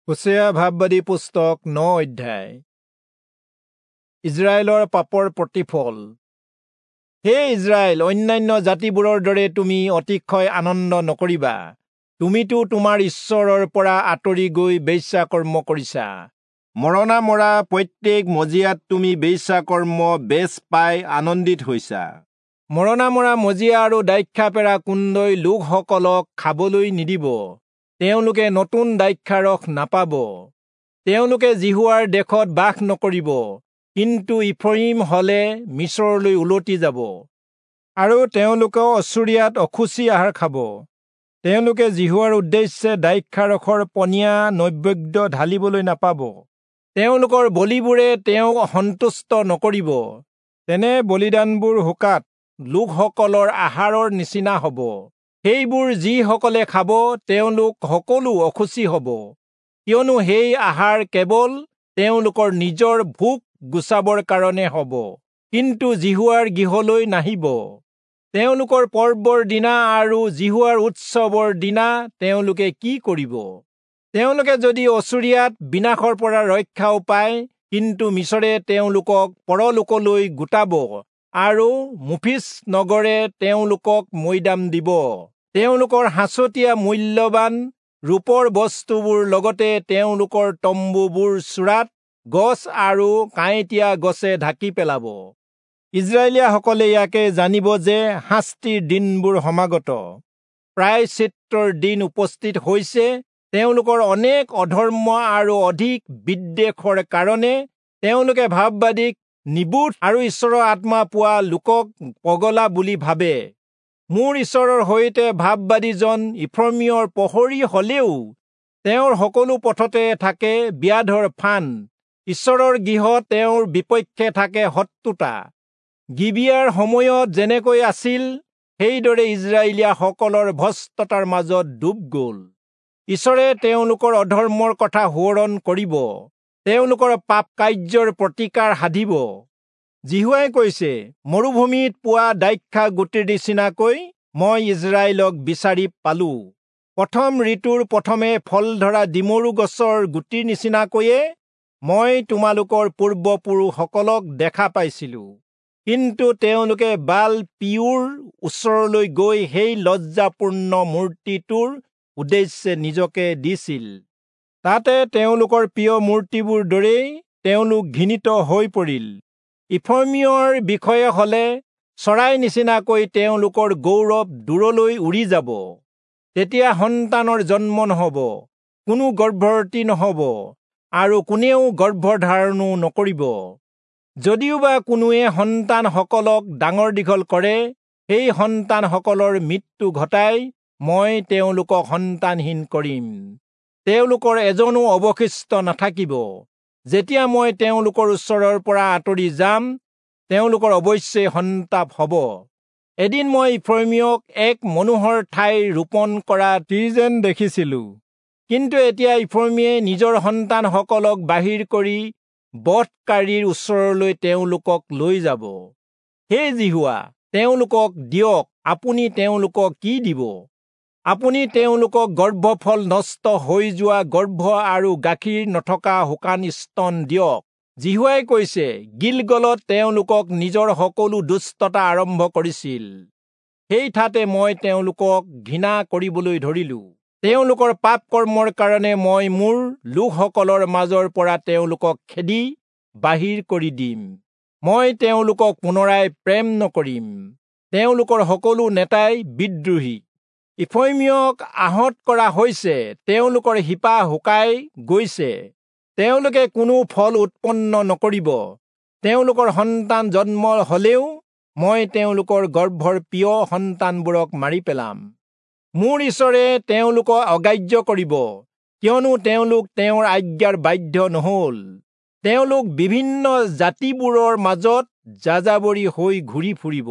হোচেয়া ভাববাদী পুস্তক 9 অধ্যায়। ইজৰাইলৰ পাপৰ প্ৰতিফল। হে ইজৰাইল, অন্যান্য জাতিবোৰৰ দৰে তুমি অতিশয় আনন্দ নকৰিবা। তুমিতো তোমাৰ ঈশ্বৰৰ পৰা আঁতৰি গৈ বেশ্যাকৰ্ম কৰিছা। মৰণা মৰা প্ৰত্যেক মজিয়াত তুমি বেশ্যাকৰ্ম বেচ পাই আনন্দিত হৈছা। মৰণা মৰা মজিয়া আৰু দ্ৰাক্ষাপেৰা কুণ্ডই লোকসকলক খাবলৈ নিদিব। তেওঁলোকে নতুন দ্ৰাক্ষাৰস নাপাব। তেওঁলোকে যিহোৱাৰ দেশত বাস নকৰিব, কিন্তু ইফ্ৰয়িম হলে মিচৰলৈ উলটি যাব আৰু তেওঁলোকে অচুৰীয়াত অশুচি আহাৰ খাব। তেওঁলোকে যিহোৱাৰ উদ্দেশ্যে দ্ৰাক্ষাৰসৰ পনীয়া নৈবেদ্য ঢালিবলৈ নাপাব। তেওঁলোকৰ বলিবোৰে তেওঁক সন্তুষ্ট নকৰিব। তেনে বলিদানবোৰ শোকাত লোকসকলৰ আহাৰৰ নিচিনা হ'ব। সেইবোৰ যিসকলে খাব তেওঁলোক সকলো অশুচি হ'ব, কিয়নো সেই আহাৰ কেৱল তেওঁলোকৰ নিজৰ ভোক গুচাবৰ কাৰণে হ'ব, কিন্তু যিহোৱাৰ গৃহলৈ নাহিব। তেওঁলোকৰ পৰ্বৰ দিনা আৰু যিহোৱাৰ উৎসৱৰ দিনা তেওঁলোকে কি কৰিব? তেওঁলোকে যদি অচুৰীয়াত বিনাশৰ পৰা ৰক্ষাও পায়, কিন্তু মিচৰে তেওঁলোকক পৰলোকলৈ গোটাব আৰু মুফিচ নগৰে তেওঁলোকক মৈদাম দিব। তেওঁলোকৰ সাঁচতীয়া মূল্যৱান ৰূপৰ বস্তুবোৰ লগতে তেওঁলোকৰ তম্বুবোৰ চূড়াত গছ আৰু কাঁইটীয়া গছে ঢাকি পেলাব। ইজৰাইলীয়াসকলে ইয়াকে জানিব যে শাস্তিৰ দিনবোৰ সমাগত, প্ৰায়শ্চিত্তৰ দিন উপস্থিত হৈছে। তেওঁলোকৰ অনেক অধৰ্ম আৰু অধিক বিদ্বেষৰ কাৰণে তেওঁলোকে ভাববাদীক নিবোধ আৰু ঈশ্বৰৰ আত্মা পোৱা লোকক পগলা বুলি ভাবে। মোৰ ঈশ্বৰৰ সৈতে ভাববাদীজন ইফ্ৰয়িমৰ প্ৰহৰী হলেও তেওঁৰ সকলো পথতে থাকে ব্যাধৰ ফান। ঈশ্বৰৰ গৃহত তেওঁৰ বিপক্ষে থাকে শত্ৰুতা। গিবিয়াৰ সময়ত যেনেকৈ আছিল, সেইদৰে ইজৰাইলীয়াসকলৰ ভ্ৰষ্টতাৰ মাজত ডুব গ'ল। ঈশ্বৰে তেওঁলোকৰ অধৰ্মৰ কথা সোঁৱৰণ কৰিব, তেওঁলোকৰ পাপ কাৰ্যৰ প্ৰতিকাৰ সাধিব। যিহোৱাই কৈছে, মৰুভূমিত পোৱা দ্ৰাক্ষা গুটিৰ নিচিনাকৈ মই ইজৰাইলক বিচাৰি পালো। প্ৰথম ঋতুৰ প্ৰথমে ফল ধৰা ডিমৰু গছৰ গুটিৰ নিচিনাকৈয়ে মই তোমালোকৰ পূৰ্বপুৰুষসকলক দেখা পাইছিলো। কিন্তু তেওঁলোকে বাল পিয়ুৰ ওচৰলৈ গৈ সেই লজ্জাপূৰ্ণ মূৰ্তিটোৰ উদ্দেশ্যে নিজকে দিছিল। তাতে তেওঁলোকৰ প্ৰিয় মূৰ্তিবোৰ দৰেই তেওঁলোক ঘৃণিত হৈ পৰিল। ইফ্ৰয়িমৰ বিষয়ে হলে চৰাই নিচিনাকৈ তেওঁলোকৰ গৌৰৱ দূৰলৈ উৰি যাব। তেতিয়া সন্তানৰ জন্ম নহব, কোনো গৰ্ভৱতী নহব আৰু কোনেও গৰ্ভধাৰণো নকৰিব। যদিওবা কোনোৱে সন্তানসকলক ডাঙৰ দীঘল কৰে, সেই সন্তানসকলৰ মৃত্যু ঘটাই মই তেওঁলোকক সন্তানহীন কৰিম। তেওঁলোকৰ এজনো অৱশিষ্ট নাথাকিব। যেতিয়া মই তেওঁলোকৰ ওচৰৰ পৰা আঁতৰি যাম, তেওঁলোকৰ অৱশ্যেই সন্তাপ হ'ব। এদিন মই ইফ্ৰয়িমক এক মনোহৰ ঠাইৰ ৰোপণ কৰা যেন দেখিছিলো, কিন্তু এতিয়া ইফ্ৰয়িমে নিজৰ সন্তানসকলক বাহিৰ কৰি বধকাৰীৰ ওচৰলৈ তেওঁলোকক লৈ যাব। হে যিহোৱা, তেওঁলোকক দিয়ক, আপুনি তেওঁলোকক কি দিব? আপুনি তেওঁলোকক গৰ্ভফল নষ্ট হৈ যোৱা গৰ্ভ আৰু গাখীৰ নথকা শুকান স্তন দিয়ক। যিহোৱাই কৈছে, গিলগলত তেওঁলোকক নিজৰ সকলো দুষ্টতা আৰম্ভ কৰিছিল, সেই ঠাতে মই তেওঁলোকক ঘৃণা কৰিবলৈ ধৰিলো। তেওঁলোকৰ পাপ কৰ্মৰ কাৰণে মই মোৰ লোকসকলৰ মাজৰ পৰা তেওঁলোকক খেদি বাহিৰ কৰি দিম। মই তেওঁলোকক পুনৰাই প্ৰেম নকৰিম। তেওঁলোকৰ সকলো নেতাই বিদ্ৰোহী। ইফ্ৰয়িমক আহত কৰা হৈছে, তেওঁলোকৰ শিপা শুকাই গৈছে। তেওঁলোকে কোনো ফল উৎপন্ন নকৰিব। তেওঁলোকৰ সন্তান জন্ম হলেও মই তেওঁলোকৰ গৰ্ভৰ প্ৰিয় সন্তানবোৰক মাৰি পেলাম। মোৰ ঈশ্বৰে তেওঁলোকক অগ্ৰাহ্য কৰিব, কিয়নো তেওঁলোক তেওঁৰ আজ্ঞাৰ বাধ্য নহল। তেওঁলোক বিভিন্ন জাতিবোৰৰ মাজত যাযাবৰী হৈ ঘূৰি ফুৰিব।